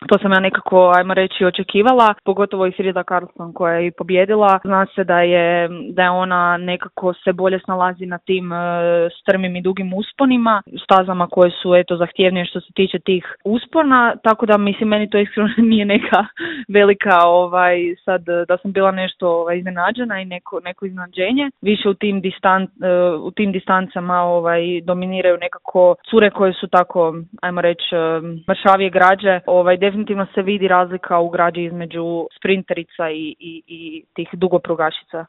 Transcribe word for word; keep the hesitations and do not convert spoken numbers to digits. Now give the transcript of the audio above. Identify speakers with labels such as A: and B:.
A: To sam ja nekako, ajmo reći, očekivala, pogotovo i Frida Karlsson koja je i pobjedila. Zna se da je, da je ona nekako se bolje snalazi na tim e, strmim i dugim usponima, stazama koje su eto zahtjevnije što se tiče tih uspona, tako da mislim meni to iskreno nije neka velika ovaj sad da sam bila nešto ovaj, iznenađena i neko, neko iznenađenje. Više u tim, distan, e, u tim distancama ovaj, dominiraju nekako cure koje su tako, ajmo reći, e, mršavije građe. Ovaj, definitivno se vidi razlika u građi između sprinterica i, i, i tih dugoprugašica.